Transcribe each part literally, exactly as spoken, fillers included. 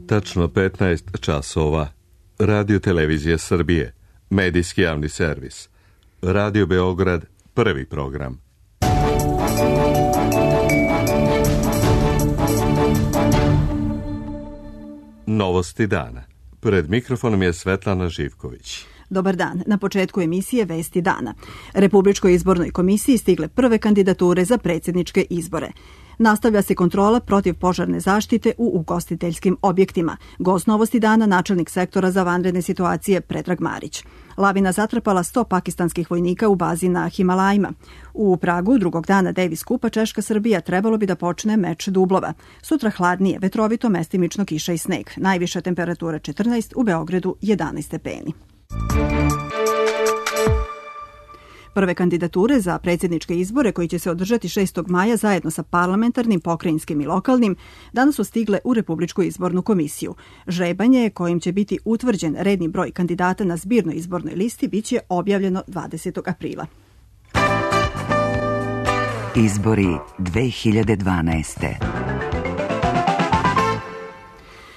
Tačno petnaest časova. Radio Televizija Srbije. Medijski javni servis. Radio Beograd. Prvi program. Novosti dana. Pred mikrofonom je Svetlana Živković. Dobar dan. Na početku emisije Vesti dana. Republičkoj izbornoj komisiji stigle prve kandidature za predsjedničke izbore. Nastavlja se kontrola protiv požarne zaštite u ugostiteljskim objektima. Gost Novosti dana, načelnik sektora za vanredne situacije Predrag Marić. Lavina zatrpala sto pakistanskih vojnika u bazi na Himalajima. U Pragu drugog dana Davis Kupa Češka-Srbija trebalo bi da počne meč dublova. Sutra hladnije, vetrovito, mestimično kiša i sneg. Najviša temperatura četrnaest, u Beogradu jedanaest stepeni. Prve kandidature za predsjedničke izbore koji će se održati šestog maja zajedno sa parlamentarnim, pokrajinskim i lokalnim danas su stigle u Republičku izbornu komisiju. Žrebanje kojim će biti utvrđen redni broj kandidata na zbirnoj izbornoj listi biće objavljeno dvadesetog aprila. Izbori dve hiljade dvanaeste.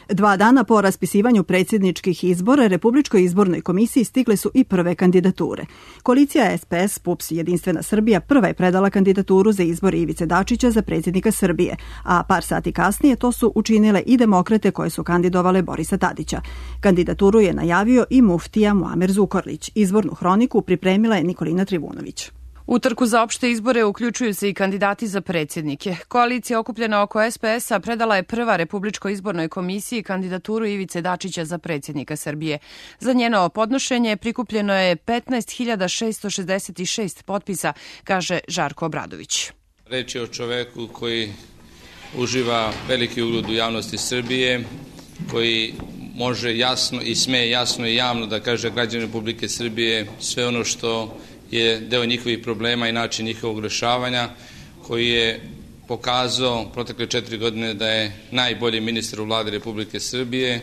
Dva dana po raspisivanju predsjedničkih izbora Republičkoj izbornoj komisiji stigle su i prve kandidature. Koalicija S P S, P U P S, Jedinstvena Srbija prva je predala kandidaturu za izbor Ivice Dačića za predsjednika Srbije, a par sati kasnije to su učinile i demokrate koje su kandidovale Borisa Tadića. Kandidaturu je najavio i muftija Muamer Zukorlić. Izbornu hroniku pripremila je Nikolina Trivunović. U trku za opšte izbore uključuju se i kandidati za predsjednike. Koalicija okupljena oko S P S-a predala je prva Republičkoj izbornoj komisiji kandidaturu Ivice Dačića za predsjednika Srbije. Za njeno podnošenje prikupljeno je petnaest hiljada šesto šezdeset šest potpisa, kaže Žarko Obradović. Reč je o čoveku koji uživa veliki ugled u javnosti Srbije, koji može jasno i sme jasno i javno da kaže građani Republike Srbije sve ono što je deo njihovih problema i način njihovog rešavanja, koji je pokazao protekle četiri godine da je najbolji ministar u vladi Republike Srbije,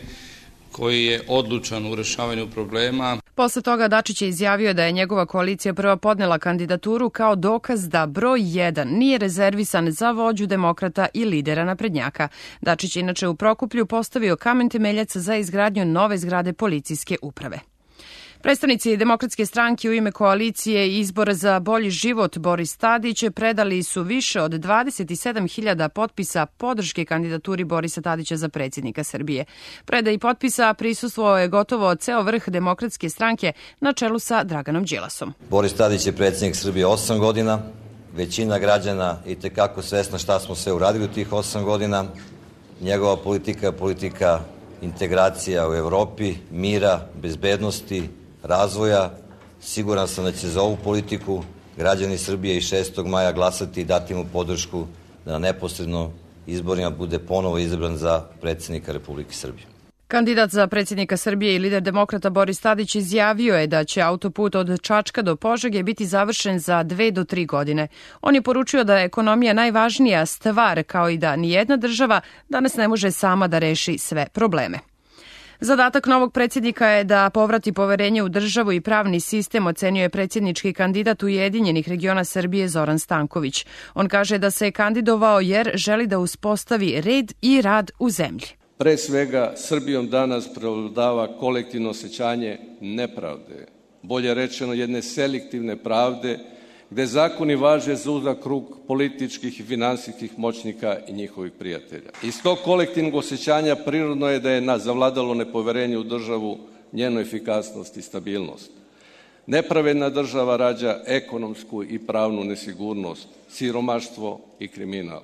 koji je odlučan u rešavanju problema. Posle toga Dačić je izjavio da je njegova koalicija prva podnela kandidaturu kao dokaz da broj jedan nije rezervisan za vođu demokrata i lidera naprednjaka. Dačić je inače u Prokuplju postavio kamen temeljac za izgradnju nove zgrade policijske uprave. Predstavnici Demokratske stranke u ime koalicije Izbor za bolji život Boris Tadić predali su više od dvadeset sedam hiljada potpisa podrške kandidaturi Borisa Tadića za predsjednika Srbije. Predaji potpisa prisustvovao je gotovo ceo vrh Demokratske stranke na čelu sa Draganom Đilasom. Boris Tadić je predsjednik Srbije osam godina. Većina građana i tekako svesna šta smo sve uradili u tih osam godina. Njegova politika je politika integracija u Evropi, mira, bezbednosti, razvoja. Siguran sam da će za ovu politiku građani Srbije i šestog maja glasati i dati mu podršku da na neposredno izborima bude ponovo izabran za predsjednika Republike Srbije. Kandidat za predsjednika Srbije i lider demokrata Boris Tadić izjavio je da će autoput od Čačka do Požege biti završen za dve do tri godine. On je poručio da je ekonomija najvažnija stvar, kao i da nijedna država danas ne može sama da reši sve probleme. Zadatak novog predsjednika je da povrati poverenje u državu i pravni sistem, ocenio je predsjednički kandidat Ujedinjenih regiona Srbije Zoran Stanković. On kaže da se je kandidovao jer želi da uspostavi red i rad u zemlji. Pre svega, Srbijom danas prevladava kolektivno osjećanje nepravde, bolje rečeno jedne selektivne pravde, gde zakoni važe za uzak krug političkih i finansijskih moćnika i njihovih prijatelja. Iz tog kolektivnog osjećanja prirodno je da je nas zavladalo nepoverenje u državu, njenu efikasnost i stabilnost. Nepravedna država rađa ekonomsku i pravnu nesigurnost, siromaštvo i kriminal.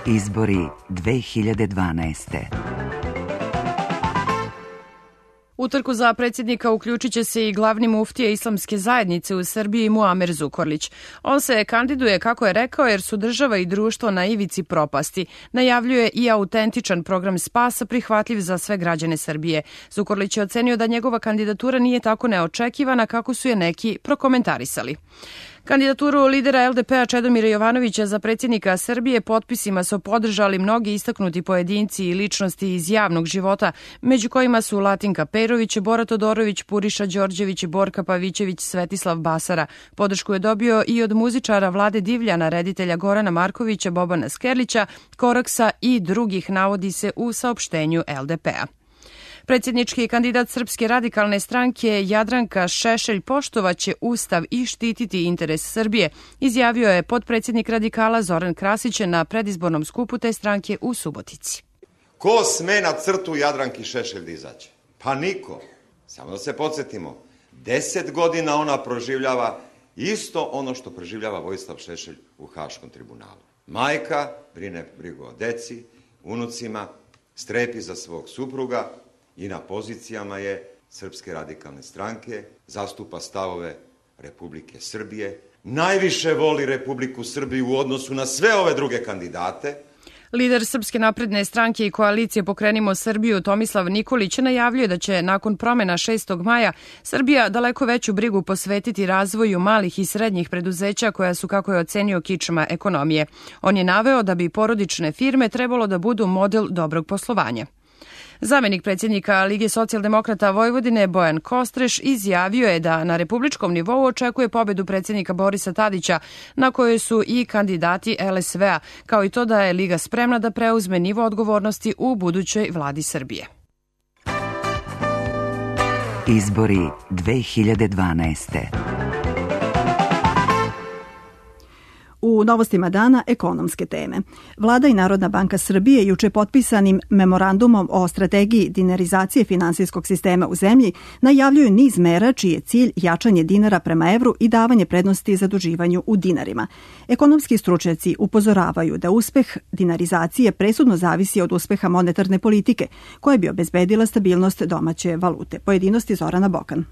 Izbori dve hiljade dvanaeste. U trku za predsjednika uključit će se i glavni muftija islamske zajednice u Srbiji Muamer Zukorlić. On se kandiduje, kako je rekao, jer su država i društvo na ivici propasti. Najavljuje i autentičan program spasa prihvatljiv za sve građane Srbije. Zukorlić je ocenio da njegova kandidatura nije tako neočekivana kako su je neki prokomentarisali. Kandidaturu lidera L D P-a Čedomira Jovanovića za predsjednika Srbije potpisima su podržali mnogi istaknuti pojedinci i ličnosti iz javnog života, među kojima su Latinka Perović, Bora Todorović, Puriša Đorđević, Borka Pavićević, Svetislav Basara. Podršku je dobio i od muzičara Vlade Divljana, reditelja Gorana Markovića, Bobana Skerlića, Koraksa i drugih, navodi se u saopštenju L D P-a. Predsjednički kandidat Srpske radikalne stranke Jadranka Šešelj poštovaće Ustav i štititi interes Srbije, izjavio je potpredsjednik radikala Zoran Krasić na predizbornom skupu te stranke u Subotici. Ko sme na crtu Jadranki Šešelj da izađe? Pa niko. Samo da se podsjetimo, deset godina ona proživljava isto ono što proživljava Vojislav Šešelj u Haškom tribunalu. Majka brine brigu o deci, unucima, strepi za svog supruga, i na pozicijama je Srpske radikalne stranke, zastupa stavove Republike Srbije, najviše voli Republiku Srbiju u odnosu na sve ove druge kandidate. Lider Srpske napredne stranke i koalicije Pokrenimo Srbiju Tomislav Nikolić najavljuje da će nakon promjena šestog maja Srbija daleko veću brigu posvetiti razvoju malih i srednjih preduzeća koja su, kako je ocenio, kičma ekonomije. On je naveo da bi porodične firme trebalo da budu model dobrog poslovanja. Zamenik predsjednika Lige socijaldemokrata Vojvodine Bojan Kostreš izjavio je da na republičkom nivou očekuje pobedu predsjednika Borisa Tadića, na kojoj su i kandidati L S V-a, kao i to da je Liga spremna da preuzme nivo odgovornosti u budućoj vladi Srbije. Izbori dve hiljade dvanaeste. U novostima dana ekonomske teme. Vlada i Narodna banka Srbije juče potpisanim memorandumom o strategiji dinarizacije finansijskog sistema u zemlji najavljuju niz mera čiji je cilj jačanje dinara prema evru i davanje prednosti zaduživanju u dinarima. Ekonomski stručnjaci upozoravaju da uspeh dinarizacije presudno zavisi od uspeha monetarne politike koja bi obezbedila stabilnost domaće valute. Pojedinosti Zorana Bokan.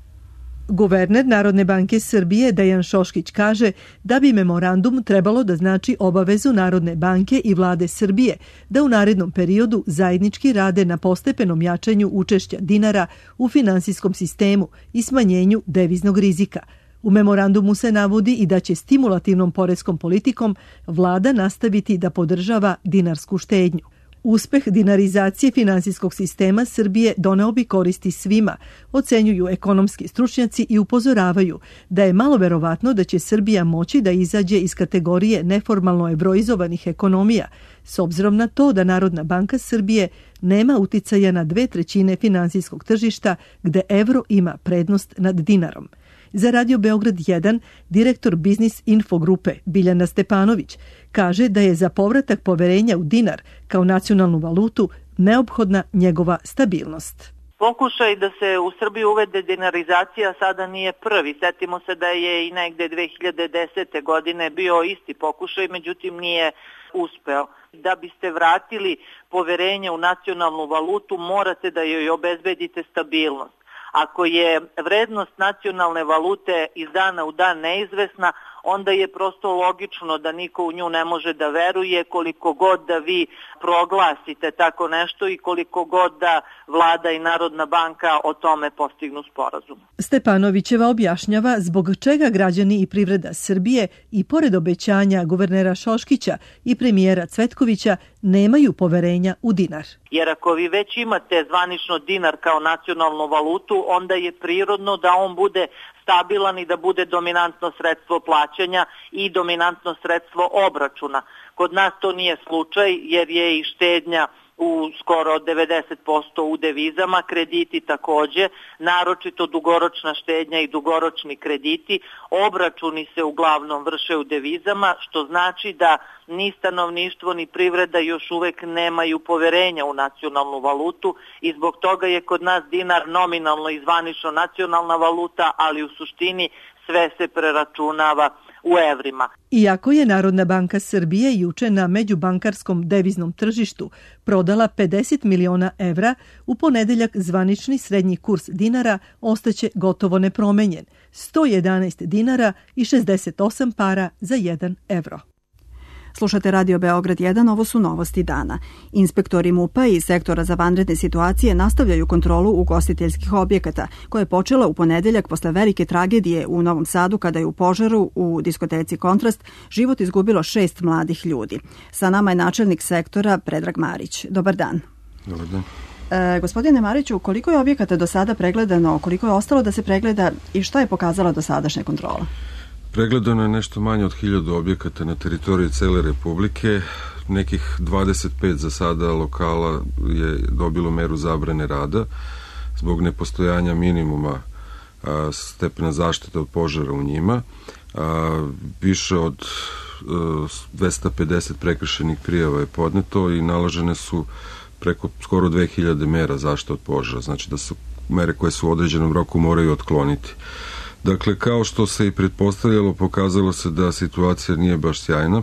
Guverner Narodne banke Srbije Dejan Šoškić kaže da bi memorandum trebalo da znači obavezu Narodne banke i vlade Srbije da u narednom periodu zajednički rade na postepenom jačanju učešća dinara u finansijskom sistemu i smanjenju deviznog rizika. U memorandumu se navodi i da će stimulativnom poreskom politikom vlada nastaviti da podržava dinarsku štednju. Uspeh dinarizacije finansijskog sistema Srbije doneo bi koristi svima, ocenjuju ekonomski stručnjaci i upozoravaju da je malo verovatno da će Srbija moći da izađe iz kategorije neformalno evroizovanih ekonomija, s obzirom na to da Narodna banka Srbije nema uticaja na dve trećine finansijskog tržišta gde evro ima prednost nad dinarom. Za Radio Beograd jedan, direktor Biznis Info grupe Biljana Stepanović kaže da je za povratak poverenja u dinar kao nacionalnu valutu neophodna njegova stabilnost. Pokušaj da se u Srbiju uvede dinarizacija sada nije prvi. Setimo se da je i negde dve hiljade desete. godine bio isti pokušaj, međutim nije uspeo. Da biste vratili poverenje u nacionalnu valutu, morate da joj obezbedite stabilnost. Ako je vrednost nacionalne valute iz dana u dan neizvesna, onda je prosto logično da niko u nju ne može da veruje, koliko god da vi proglasite tako nešto i koliko god da vlada i Narodna banka o tome postignu sporazum. Stepanovićeva objašnjava zbog čega građani i privreda Srbije i pored obećanja guvernera Šoškića i premijera Cvetkovića nemaju poverenja u dinar. Jer ako vi već imate zvanično dinar kao nacionalnu valutu, onda je prirodno da on bude stabilan i da bude dominantno sredstvo plaćanja i dominantno sredstvo obračuna. Kod nas to nije slučaj jer je i štednja u skoro devedeset posto u devizama, krediti takođe, naročito dugoročna štednja i dugoročni krediti, obračuni se uglavnom vrše u devizama, što znači da ni stanovništvo ni privreda još uvek nemaju poverenja u nacionalnu valutu i zbog toga je kod nas dinar nominalno i zvanično nacionalna valuta, ali u suštini sve se preračunava u evrima. Iako je Narodna banka Srbije juče na međubankarskom deviznom tržištu prodala pedeset miliona evra, u ponedeljak zvanični srednji kurs dinara ostaće gotovo nepromenjen, sto jedanaest dinara i šezdeset osam para za jedan evro. Slušate Radio Beograd jedan, ovo su novosti dana. Inspektori MUP-a i sektora za vanredne situacije nastavljaju kontrolu ugostiteljskih objekata, koja je počela u ponedeljak posle velike tragedije u Novom Sadu kada je u požaru u diskoteci Kontrast život izgubilo šest mladih ljudi. Sa nama je načelnik sektora Predrag Marić. Dobar dan. Dobar dan. E, gospodine Mariću, koliko je objekata do sada pregledano, koliko je ostalo da se pregleda i šta je pokazala dosadašnja kontrola? Pregledano je nešto manje od hiljadu objekata na teritoriji cele Republike. Nekih dvadeset pet za sada lokala je dobilo meru zabrane rada zbog nepostojanja minimuma a, stepena zaštite od požara u njima. A, više od a, dvesta pedeset prekršajnih prijava je podneto i naložene su preko skoro dve hiljade mera zaštite od požara. Znači da su mere koje su u određenom roku moraju otkloniti. Dakle, kao što se i pretpostavljalo, pokazalo se da situacija nije baš sjajna,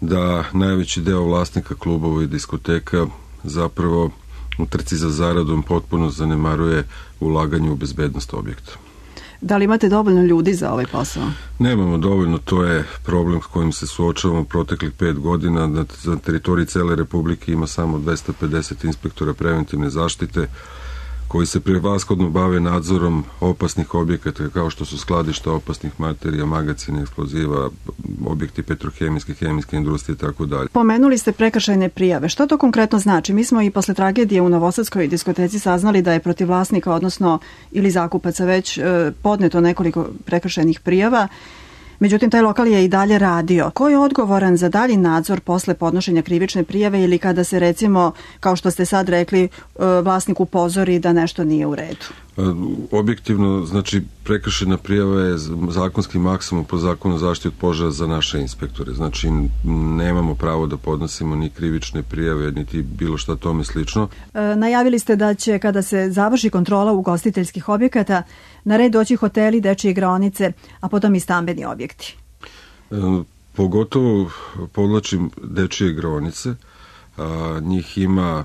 da najveći deo vlasnika klubova i diskoteka zapravo u trci za zaradom potpuno zanemaruje ulaganje u bezbednost objekta. Da li imate dovoljno ljudi za ovaj posao? Nemamo dovoljno, to je problem s kojim se suočavamo proteklih pet godina. Na, na teritoriji cele Republike ima samo dvesta pedeset inspektora preventivne zaštite koji se prevashodno bave nadzorom opasnih objekata kao što su skladišta opasnih materija, magacine, eksploziva, objekti petrohemijske, hemijske industrije i tako dalje. Pomenuli ste prekršajne prijave. Što to konkretno znači? Mi smo i posle tragedije u Novosadskoj diskoteci saznali da je protiv vlasnika, odnosno ili zakupaca već e, podneto nekoliko prekršajnih prijava. Međutim, taj lokal je i dalje radio. Ko je odgovoran za dalji nadzor posle podnošenja krivične prijave ili kada se, recimo, kao što ste sad rekli, vlasnik upozori da nešto nije u redu? Objektivno, znači, prekršajna prijava je zakonski maksimum po zakonu o zaštiti od požara za naše inspektore. Znači, nemamo pravo da podnosimo ni krivične prijave, niti bilo šta tome slično. E, najavili ste da će, kada se završi kontrola ugostiteljskih objekata, na red doći hoteli, dečije igraonice, a potom i stambeni objekti. E, pogotovo podlačim dečije igraonice. A, njih ima,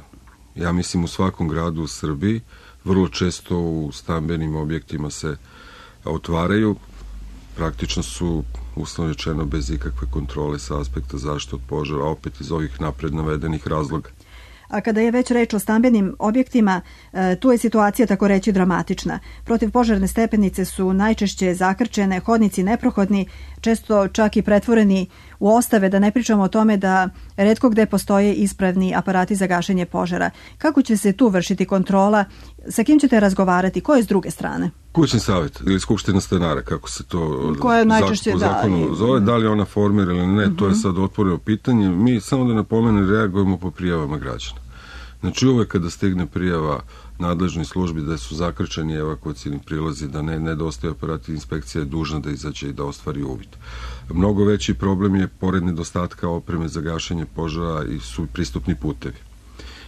ja mislim, u svakom gradu u Srbiji. Vrlo često u stambenim objektima se otvaraju. Praktično su, uslovno rečeno, bez ikakve kontrole sa aspekta zaštite od požara, opet iz ovih napred navedenih razloga. A kada je već reč o stambenim objektima, tu je situacija tako reći dramatična. Protivpožarne stepenice su najčešće zakrčene, hodnici neprohodni, često čak i pretvoreni u ostave, da ne pričamo o tome da retko gde postoje ispravni aparati za gašenje požara. Kako će se tu vršiti kontrola? Sa kim ćete razgovarati? Ko je s druge strane? Kućni savjet ili skupština stanara, kako se to Koje najčešće, po zakonu da, zove, da li ona formira ili ne, uh-huh. To je sad otvoreno pitanje. Mi samo da napomenem reagujemo po prijavama građana. Znači uvek kada stigne prijava nadležnoj službi da su zakrčeni evakuacijni prilazi, da ne nedostaju aparati, inspekcija je dužna da izađe i da ostvari uvid. Mnogo veći problem je, pored nedostatka opreme za gašenje požara, i su pristupni putevi.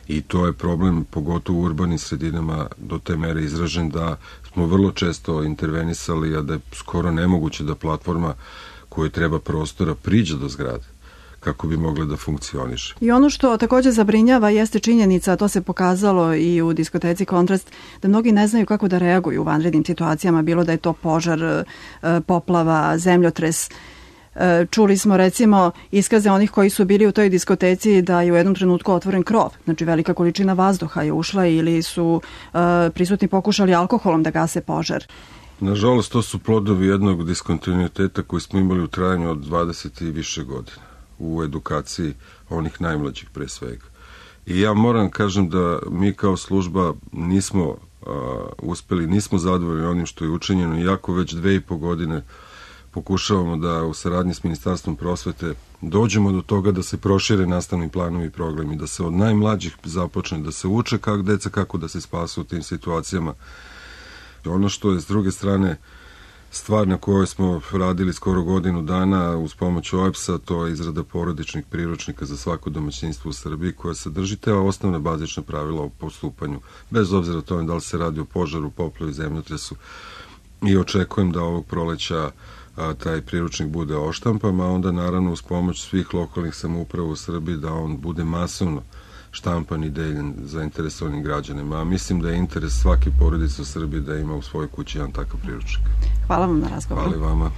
I to je problem, pogotovo u urbanim sredinama, do te mere izražen da smo vrlo često intervenisali, a da je skoro nemoguće da platforma koju treba prostora priđe do zgrade kako bi mogle da funkcioniše. I ono što također zabrinjava jeste činjenica, a to se pokazalo i u diskoteci Kontrast, da mnogi ne znaju kako da reaguju u vanrednim situacijama, bilo da je to požar, poplava, zemljotres. Čuli smo, recimo, iskaze onih koji su bili u toj diskoteci da je u jednom trenutku otvoren krov, znači velika količina vazduha je ušla, ili su prisutni pokušali alkoholom da gase požar. Nažalost, to su plodovi jednog diskontinuiteta koji smo imali u trajanju od dvadeset i više godina u edukaciji onih najmlađih pre svega. I ja moram kažem da mi kao služba nismo uh, uspeli, nismo zadovoljni onim što je učinjeno, iako već dve i po godine pokušavamo da u saradnji s Ministarstvom prosvete dođemo do toga da se prošire nastavni planovi i programi, da se od najmlađih započne, da se uče kako deca, kako da se spasu u tim situacijama. Ono što je s druge strane stvar na kojoj smo radili skoro godinu dana uz pomoć O E B S-a, to je izrada porodičnih priručnika za svako domaćinstvo u Srbiji, koja sadrži te osnovne bazične pravila o postupanju, bez obzira o tome da li se radi o požaru, poplavi, zemljotresu. I očekujem da ovog proleća a, taj priručnik bude oštampan, a onda naravno uz pomoć svih lokalnih samouprava u Srbiji da on bude masovno štampan i deljen zainteresovanim građanima. A mislim da je interes svake porodice u Srbiji da ima u svojoj kući jedan takav priručnik. Hvala vam na razgovoru. Hvala i vama.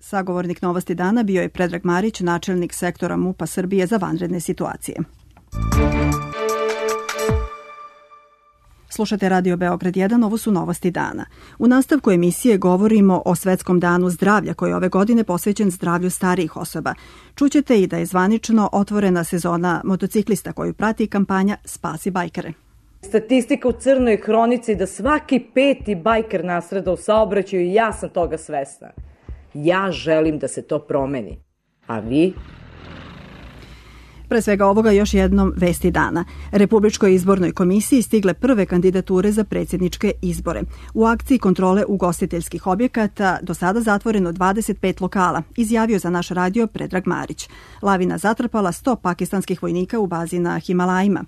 Sagovornik Novosti dana bio je Predrag Marić, načelnik sektora MUP-a Srbije za vanredne situacije. Slušate Radio Beograd jedan, ovo su Novosti dana. U nastavku emisije govorimo o Svetskom danu zdravlja koji je ove godine posvećen zdravlju starijih osoba. Čućete i da je zvanično otvorena sezona motociklista koju prati kampanja Spasi bajkere. Statistika u crnoj hronici da svaki peti bajker nastrada u saobraćaju i ja sam toga svesna. Ja želim da se to promeni. A vi? Pre svega ovoga još jednom vesti dana. Republičkoj izbornoj komisiji stigle prve kandidature za predsjedničke izbore. U akciji kontrole ugostiteljskih objekata do sada zatvoreno dvadeset pet lokala, izjavio za naš radio Predrag Marić. Lavina zatrpala sto pakistanskih vojnika u bazi na Himalajima.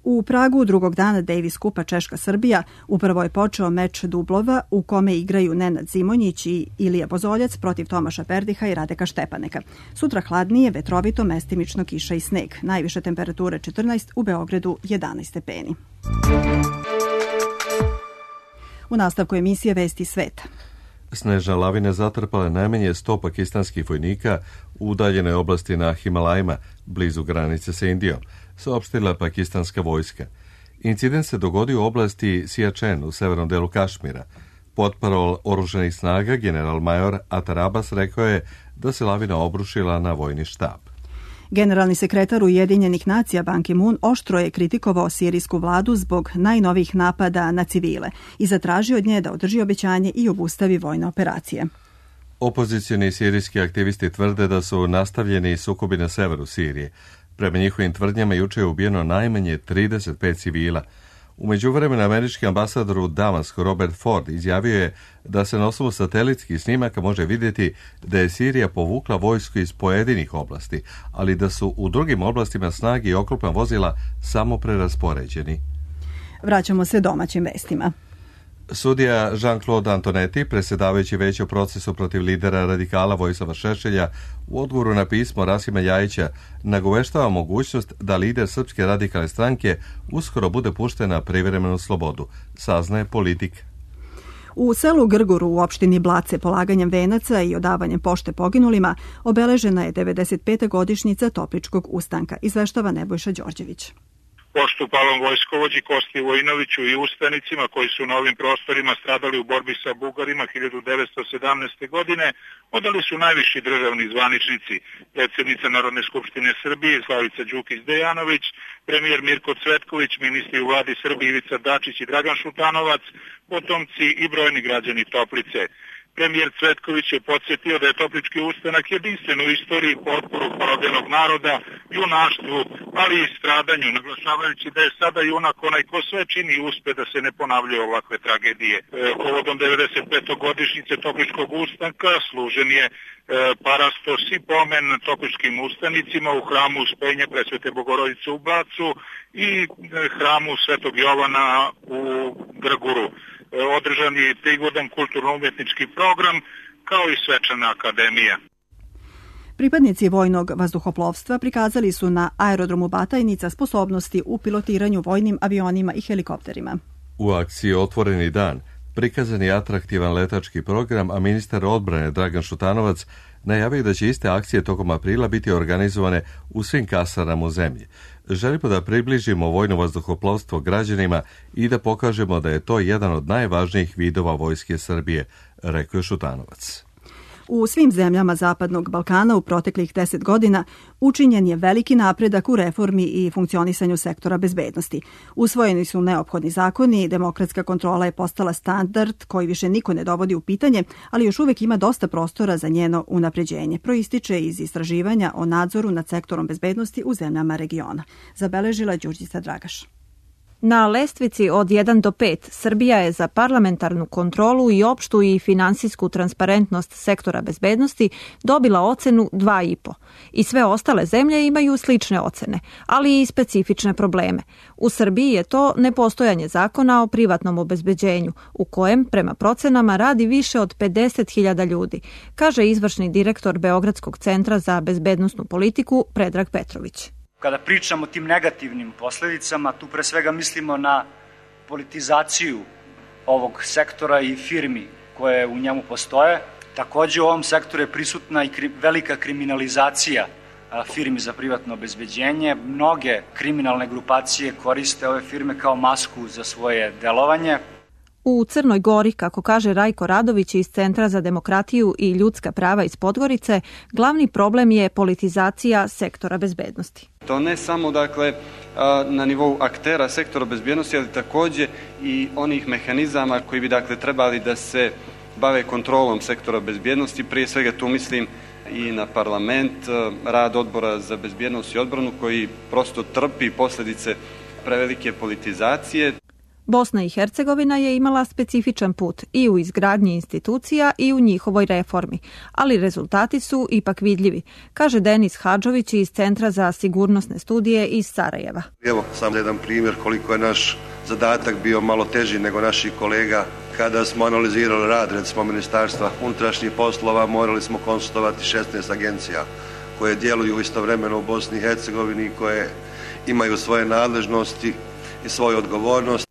U Pragu drugog dana Davis Kupa Češka-Srbija upravo je počeo meč dublova u kome igraju Nenad Zimonjić i Ilija Bozoljac protiv Tomaša Perdiha i Radeka Štepaneka. Sutra hladnije, vetrovito, mestimično kiša i sneg. Najviše temperature četrnaest, u Beogradu jedanaest stepeni. U nastavku emisije Vesti sveta. Snežna lavina zatrpala najmanje sto pakistanskih vojnika u udaljenoj oblasti na Himalajima, blizu granice sa Indijom, saopštila pakistanska vojska. Incident se dogodio u oblasti Siačen u severnom delu Kašmira. Potparol oružanih snaga general major Atar Abbas rekao je da se lavina obrušila na vojni štab. Generalni sekretar Ujedinjenih nacija Ban Ki-moon oštro je kritikovao sirijsku vladu zbog najnovijih napada na civile i zatražio od nje da održi obećanje i obustavi vojne operacije. Opozicioni sirijski aktivisti tvrde da su nastavljeni sukobi na severu Sirije. Prema njihovim tvrdnjama juče je ubijeno najmanje trideset pet civila. U međuvremenu američki ambasador u Damasku Robert Ford izjavio je da se na osnovu satelitskih snimaka može vidjeti da je Sirija povukla vojsku iz pojedinih oblasti, ali da su u drugim oblastima snage i oklopna vozila samo preraspoređeni. Vraćamo se domaćim vestima. Sudija Jean-Claude Antonetti, predsjedavajući veće u procesu protiv lidera radikala Vojislava Šešelja, u odgovoru na pismo Rasima Ljajića nagoveštava mogućnost da lider Srpske radikalne stranke uskoro bude pušten na privremenu slobodu, saznaje Politika. U selu Grguru u opštini Blace polaganjem venaca i odavanjem pošte poginulima obeležena je devedeset peta godišnjica Topličkog ustanka, izveštava Nebojša Đorđević. Poštu palom vojskovođi Kosti Vojinoviću i ustanicima koji su na ovim prostorima stradali u borbi sa Bugarima hiljadu devetsto sedamnaeste. godine odali su najviši državni zvaničnici, predsjednica Narodne skupštine Srbije Slavica Đukić-Dejanović, premijer Mirko Cvetković, ministri u vladi Srbije Ivica Dačić i Dragan Šutanovac, potomci i brojni građani Toplice. Premijer Cvetković je podsjetio da je Toplički ustanak jedinstven u istoriji potporu porobljenog naroda, junaštvu, ali i stradanju, naglašavajući da je sada junak onaj ko sve čini i uspe da se ne ponavljaju ovakve tragedije. E, povodom devedeset pete godišnjice Topličkog ustanka služen je e, parastos i pomen topličkim ustanicima u hramu Uspenja Presvete Bogorodice u Blacu i e, hramu Svetog Jovana u Grguru. Održan je prigodan kulturno-umjetnički program, kao i svečana akademija. Pripadnici vojnog vazduhoplovstva prikazali su na aerodromu Batajnica sposobnosti u pilotiranju vojnim avionima i helikopterima. U akciji Otvoreni dan prikazan je atraktivan letački program, a ministar odbrane Dragan Šutanovac najavio da će iste akcije tokom aprila biti organizovane u svim kasarnama u zemlji. Želimo da približimo vojno vazduhoplovstvo građanima i da pokažemo da je to jedan od najvažnijih vidova vojske Srbije, rekao je Šutanovac. U svim zemljama Zapadnog Balkana u proteklih deset godina učinjen je veliki napredak u reformi i funkcionisanju sektora bezbednosti. Usvojeni su neophodni zakoni, demokratska kontrola je postala standard koji više niko ne dovodi u pitanje, ali još uvijek ima dosta prostora za njeno unapređenje. Proističe iz istraživanja o nadzoru nad sektorom bezbednosti u zemljama regiona. Zabeležila Đurđica Dragaš. Na lestvici od jedan do pet Srbija je za parlamentarnu kontrolu i opštu i finansijsku transparentnost sektora bezbednosti dobila ocenu dva i po. I sve ostale zemlje imaju slične ocene, ali i specifične probleme. U Srbiji je to nepostojanje zakona o privatnom obezbeđenju, u kojem prema procenama radi više od pedeset hiljada ljudi, kaže izvršni direktor Beogradskog centra za bezbednosnu politiku Predrag Petrović. Kada pričamo o tim negativnim posledicama, tu pre svega mislimo na politizaciju ovog sektora i firmi koje u njemu postoje. Takođe u ovom sektoru je prisutna i kri, velika kriminalizacija firmi za privatno obezbeđenje. Mnoge kriminalne grupacije koriste ove firme kao masku za svoje delovanje. U Crnoj Gori, kako kaže Rajko Radović iz Centra za demokratiju i ljudska prava iz Podgorice, glavni problem je politizacija sektora bezbednosti. To ne samo dakle na nivou aktera sektora bezbednosti, ali takođe i onih mehanizama koji bi dakle trebali da se bave kontrolom sektora bezbednosti. Prije svega tu mislim i na parlament, rad odbora za bezbjednost i odbranu koji prosto trpi posljedice prevelike politizacije. Bosna i Hercegovina je imala specifičan put i u izgradnji institucija i u njihovoj reformi, ali rezultati su ipak vidljivi, kaže Denis Hadžović iz Centra za sigurnosne studije iz Sarajeva. Evo sam jedan primjer koliko je naš zadatak bio malo teži nego naših kolega. Kada smo analizirali rad, recimo Ministarstva unutrašnjih poslova, morali smo konsultovati šesnaest agencija koje djeluju istovremeno u Bosni i Hercegovini, koje imaju svoje nadležnosti i svoju odgovornost.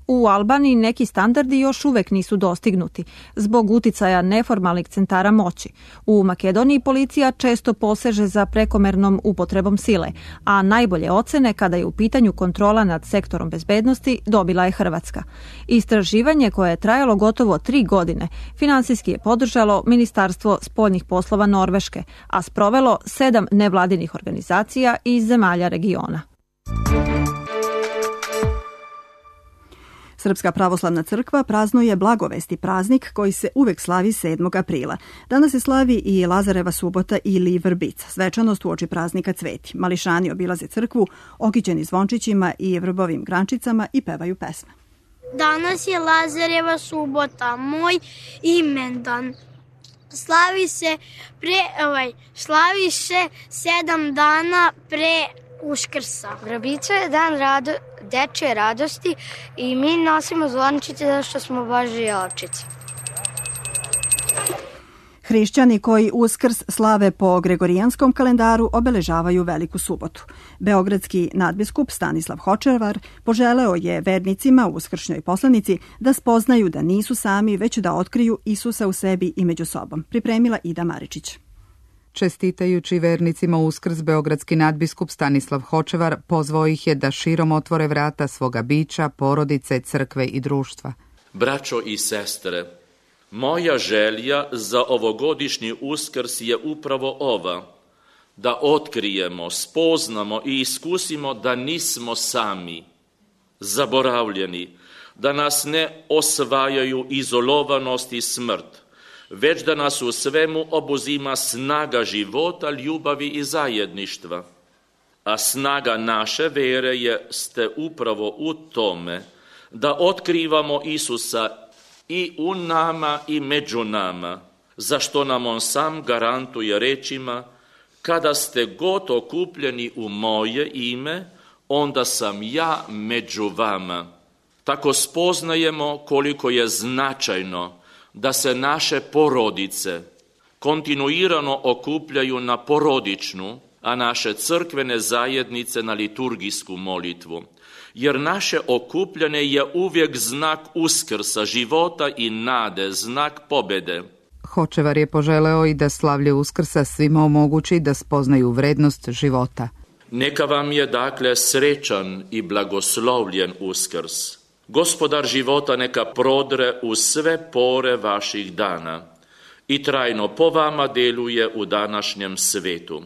U Albaniji neki standardi još uvek nisu dostignuti zbog uticaja neformalnih centara moći. U Makedoniji policija često poseže za prekomernom upotrebom sile, a najbolje ocene kada je u pitanju kontrola nad sektorom bezbednosti dobila je Hrvatska. Istraživanje koje je trajalo gotovo tri godine finansijski je podržalo Ministarstvo spoljnih poslova Norveške, a sprovelo sedam nevladinih organizacija iz zemalja regiona. Srpska pravoslavna crkva praznuje Blagovesti praznik koji se uvek slavi sedmog aprila. Danas se slavi i Lazareva subota ili Vrbica. Svečanost uoči praznika cveti. Mališani obilaze crkvu, okićeni zvončićima i vrbovim grančicama i pevaju pesme. Danas je Lazareva subota, moj imendan. Slavi se pre, ovaj, slavi se sedam dana pre Uskrsa. Vrbica je dan rado, dečje radosti i mi nosimo zvončiće zato što smo Božje ovčice. Hrišćani koji Uskrs slave po gregorijanskom kalendaru obeležavaju Veliku subotu. Beogradski nadbiskup Stanislav Hočevar poželeo je vernicima u uskršnjoj poslanici da spoznaju da nisu sami, već da otkriju Isusa u sebi i među sobom. Pripremila Ida Maričić. Čestitajući vernicima Uskrs, beogradski nadbiskup Stanislav Hočevar pozvao ih je da širom otvore vrata svoga bića, porodice, crkve i društva. Braćo i sestre, moja želja za ovogodišnji Uskrs je upravo ova, da otkrijemo, spoznamo i iskusimo da nismo sami, zaboravljeni, da nas ne osvajaju izolovanost i smrt, već da nas u svemu obuzima snaga života, ljubavi i zajedništva. A snaga naše vere jeste upravo u tome da otkrivamo Isusa i u nama i među nama, za što nam on sam garantuje rečima: kada ste god okupljeni u moje ime, onda sam ja među vama. Tako spoznajemo koliko je značajno da se naše porodice kontinuirano okupljaju na porodičnu, a naše crkvene zajednice na liturgijsku molitvu. Jer naše okupljanje je uvijek znak Uskrsa, života i nade, znak pobjede. Hočevar je poželeo i da slavlje Uskrsa svima omogući da spoznaju vrednost života. Neka vam je dakle srećan i blagoslovljen Uskrs. Gospodar života neka prodre u sve pore vaših dana i trajno po vama deluje u današnjem svetu.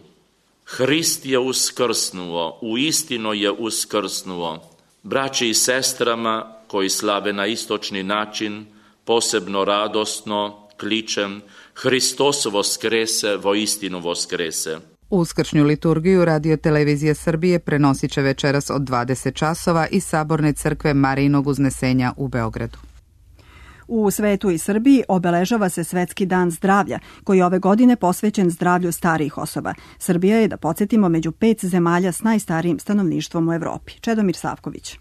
Hrist je uskrsnuo, uistinu je uskrsnuo. Braći i sestrama koji slave na istočni način, posebno radosno kličem: Hristos voskrese, voistinu voskrese. Uskršnju liturgiju Radio Televizija Srbije prenosit će večeras od dvadeset časova iz Saborne crkve Marijinog uznesenja u Beogradu. U svetu i Srbiji obeležava se Svetski dan zdravlja, koji je ove godine posvećen zdravlju starijih osoba. Srbija je, da podsjetimo, među pet zemalja s najstarijim stanovništvom u Evropi. Čedomir Savković.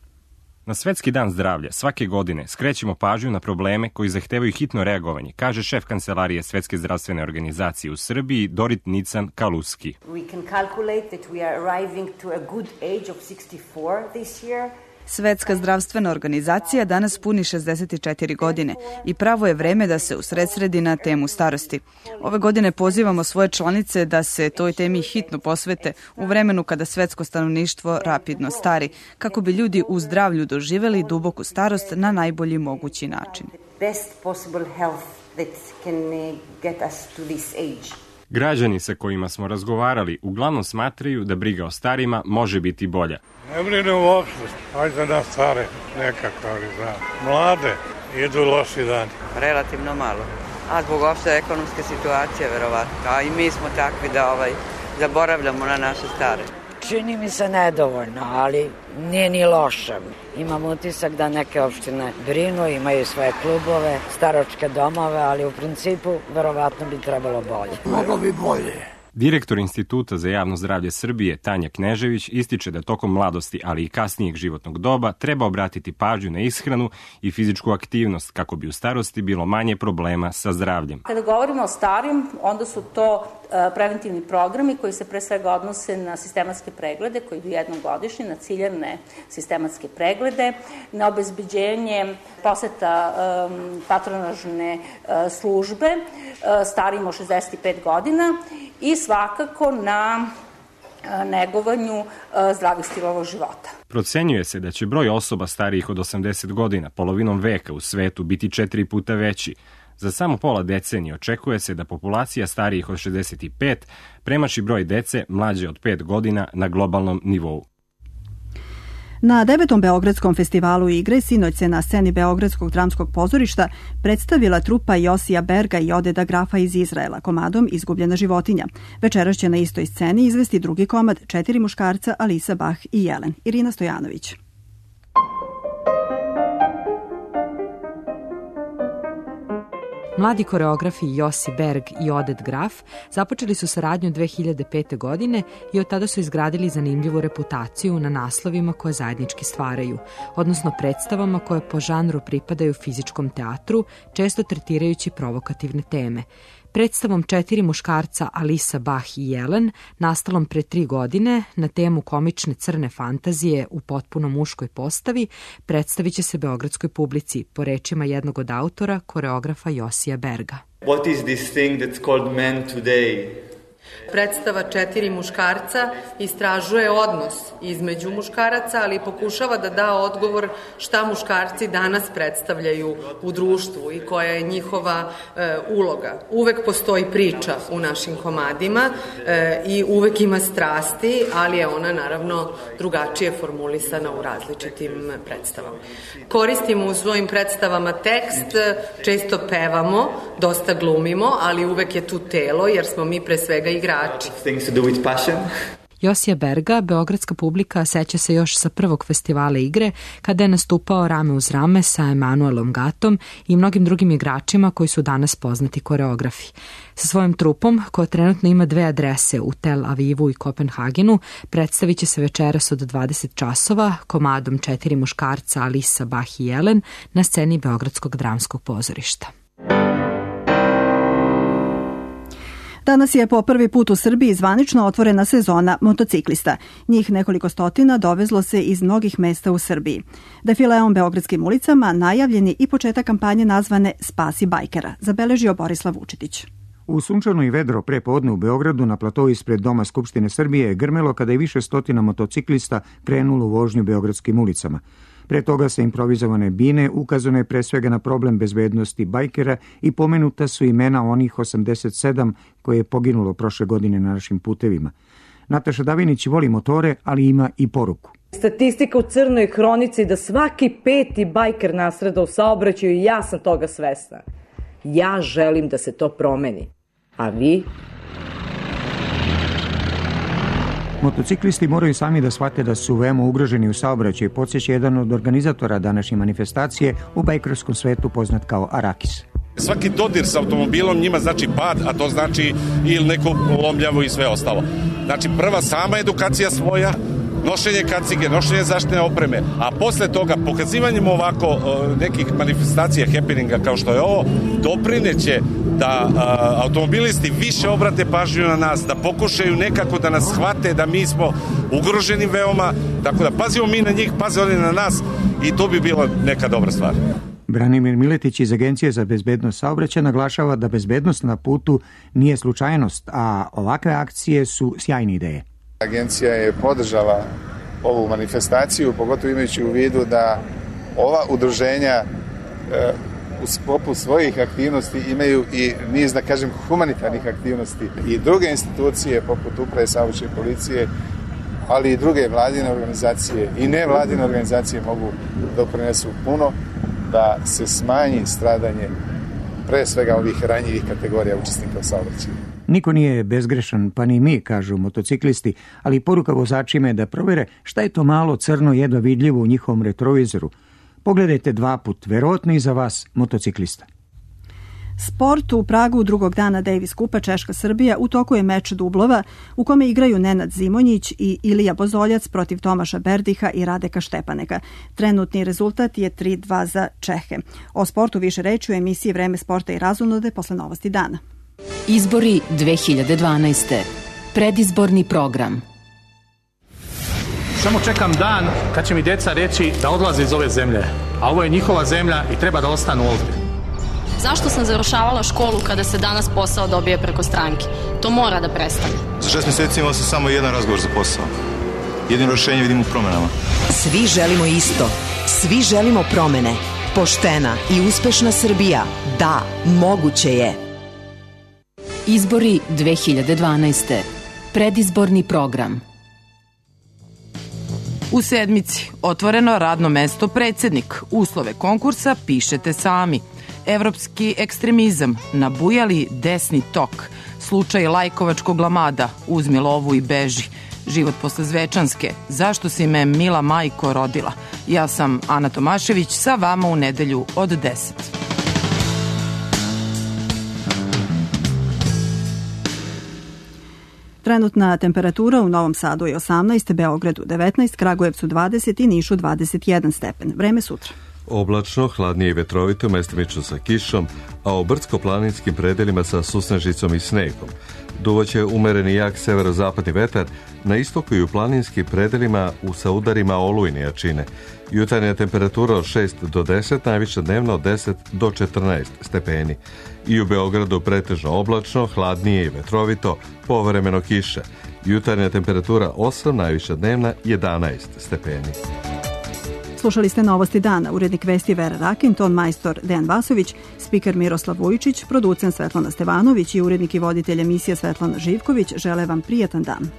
Na Svetski dan zdravlja svake godine skrećemo pažnju na probleme koji zahtevaju hitno reagovanje, kaže šef kancelarije Svetske zdravstvene organizacije u Srbiji Dorit Nican Kaluski. We can calculate that we are arriving to a good age of sixty-four this year. Svetska zdravstvena organizacija danas puni šezdeset četiri godine i pravo je vreme da se usredsredi na temu starosti. Ove godine pozivamo svoje članice da se toj temi hitno posvete u vremenu kada svetsko stanovništvo rapidno stari, kako bi ljudi u zdravlju doživeli duboku starost na najbolji mogući način. Građani sa kojima smo razgovarali uglavnom smatraju da briga o starima može biti bolja. Ne brinem uopšte, ajde na stare nekako, ali znam. Mlade, idu loši dani. Relativno malo, a zbog opšte ekonomske situacije, verovatno. A i mi smo takvi da ovaj, zaboravljamo na naše stare. Čini mi se nedovoljno, ali nije ni loše. Imam utisak da neke opštine brinu, imaju svoje klubove, staročke domove, ali u principu verovatno bi trebalo bolje. Moglo bi bolje. Direktor Instituta za javno zdravlje Srbije, Tanja Knežević, ističe da tokom mladosti, ali i kasnijeg životnog doba, treba obratiti pažnju na ishranu i fizičku aktivnost kako bi u starosti bilo manje problema sa zdravljem. Kada govorimo o starijim, onda su to preventivni programi koji se pre svega odnose na sistematske preglede, koji idu jednom godišnje, na ciljane sistematske preglede, na obezbeđenje poseta um, patronažne uh, službe uh, starijim od šezdeset pet godina i svakako na negovanju zdravih stilova života. Procenjuje se da će broj osoba starijih od osamdeset godina polovinom veka u svetu biti četiri puta veći. Za samo pola decenije očekuje se da populacija starijih od šezdeset pet premaši broj dece mlađe od pet godina na globalnom nivou. Na devetom Beogradskom festivalu igre sinoć se na sceni Beogradskog dramskog pozorišta predstavila trupa Josija Berga i Odeda Grafa iz Izraela komadom Izgubljena životinja. Večeras će na istoj sceni izvesti drugi komad Četiri muškarca, Alisa Bach i Jelen. Irina Stojanović. Mladi koreografi Josi Berg i Oded Graf započeli su saradnju dve hiljade pete. godine i od tada su izgradili zanimljivu reputaciju na naslovima koje zajednički stvaraju, odnosno predstavama koje po žanru pripadaju fizičkom teatru, često tretirajući provokativne teme. Predstavom Četiri muškarca, Alisa Bach i Jelen, nastalom pre tri godine na temu komične crne fantazije u potpuno muškoj postavi, predstavit će se beogradskoj publici, po rečima jednog od autora, koreografa Josija Berga. What is this thing that's called men today? Predstava Četiri muškarca istražuje odnos između muškaraca, ali pokušava da da odgovor šta muškarci danas predstavljaju u društvu i koja je njihova e, uloga. Uvek postoji priča u našim komadima e, i uvek ima strasti, ali je ona naravno drugačije formulisana u različitim predstavama. Koristimo u svojim predstavama tekst, često pevamo, dosta glumimo, ali uvek je tu telo, jer smo mi pre svega igrači. Josija Berga, beogradska publika, seća se još sa prvog festivala igre, kada je nastupao rame uz rame sa Emanuelom Gatom i mnogim drugim igračima koji su danas poznati koreografi. Sa svojim trupom, koja trenutno ima dve adrese u Tel Avivu i Kopenhagenu, predstavit će se večeras od dvadeset časova komadom Četiri muškarca, Alisa Bach i Jelen na sceni Beogradskog dramskog pozorišta. Danas je po prvi put u Srbiji zvanično otvorena sezona motociklista. Njih nekoliko stotina dovezlo se iz mnogih mesta u Srbiji. Defileom beogradskim ulicama najavljeni i početak kampanje nazvane Spasi bajkera, zabeležio Borislav Vučetić. U sunčano i vedro prepodne u Beogradu na platovu ispred Doma Skupštine Srbije je grmelo kada je više stotina motociklista krenulo u vožnju beogradskim ulicama. Pre toga sa improvizovane bine ukazano je pre svega na problem bezbednosti bajkera i pomenuta su imena onih osamdeset sedam koje je poginulo prošle godine na našim putevima. Nataša Davinić voli motore, ali ima i poruku. Statistika u crnoj hronici da svaki peti bajker nasreda u saobraćaju i ja sam toga svesna. Ja želim da se to promeni. A vi? Motociklisti moraju sami da shvate da su veoma ugroženi u saobraćaju, podsjeća jedan od organizatora današnje manifestacije u bajkerskom svetu poznat kao Arakis. Svaki dodir sa automobilom njima znači pad, a to znači ili neko lomljavo i sve ostalo. Znači prva sama edukacija svoja, nošenje kacige, nošenje zaštitne opreme, a posle toga pokazivanjem ovako nekih manifestacija, happeninga kao što je ovo, doprineće da a, automobilisti više obrate pažnju na nas, da pokušaju nekako da nas shvate da mi smo ugroženi veoma, tako da pazimo mi na njih, paze oni na nas i to bi bila neka dobra stvar. Branimir Miletić iz Agencije za bezbednost saobraćaja naglašava da bezbednost na putu nije slučajnost, a ovakve akcije su sjajne ideje. Agencija je podržala ovu manifestaciju, pogotovo imajući u vidu da ova udruženja e, u sklopu svojih aktivnosti imaju i niz, da kažem, humanitarnih aktivnosti i druge institucije poput Uprave saobraćajne policije, ali i druge vladine organizacije i nevladine organizacije mogu doprinesu puno da se smanji stradanje pre svega ovih ranjivih kategorija učesnika u saobraćaju. Niko nije bezgrešan, pa ni mi, kažu motociklisti, ali poruka vozačima je da provere šta je to malo crno jedva vidljivo u njihovom retrovizoru. Pogledajte dva put, verovatno i za vas, motociklista. Sport u Pragu drugog dana Davis Kupa Češka-Srbija u toku je meč dublova u kome igraju Nenad Zimonjić i Ilija Bozoljac protiv Tomaša Berdiha i Radeka Štepaneka. Trenutni rezultat je tri dva za Čehe. O sportu više reći u emisiji Vreme sporta i razonode posle novosti dana. Izbori dve hiljade dvanaeste. Predizborni program. Samo čekam dan kad će mi djeca reći da odlaze iz ove zemlje, a ovo je njihova zemlja i treba da ostanu ovdje. Zašto sam završavala školu kada se danas posao dobije preko stranke? To mora da prestane. Za šest mjeseci imao sam samo jedan razgovor za posao. Jedino rješenje vidim u promjenama. Svi želimo isto. Svi želimo promjene. Poštena i uspešna Srbija. Da, moguće je. Izbori dve hiljade dvanaeste. Predizborni program. U sedmici otvoreno radno mesto predsjednik. Uslove konkursa pišete sami. Evropski ekstremizam, nabujali desni tok, slučaj lajkovačkog lamada, uzmi lovu i beži, život posle Zvečanske, zašto si me mila majko rodila. Ja sam Ana Tomašević, sa vama u nedelju od deset. Trenutna temperatura u Novom Sadu je osamnaest, Beogradu devetnaest, Kragujevcu dvadeset i Nišu dvadeset jedan stepen. Vreme sutra. Oblačno, hladnije i vetrovito, mestimično sa kišom, a u brdsko-planinskim predelima sa susnežicom i snegom. Duvaće umereni jak severozapadni vetar, na istoku i u planinskim predelima u sa udarima olujne jačine. Jutarnja temperatura od šest do deset, najviša dnevna od deset do četrnaest stepeni. I u Beogradu pretežno oblačno, hladnije i vetrovito, povremeno kiša. Jutarnja temperatura osam, najviša dnevna jedanaest stepeni. Slušali ste novosti dana. Urednik vesti Vera Rakin, ton majstor Dejan Vasović, spiker Miroslav Vujičić, producent Svetlana Stevanović i urednik i voditelj emisije Svetlana Živković žele vam prijatan dan.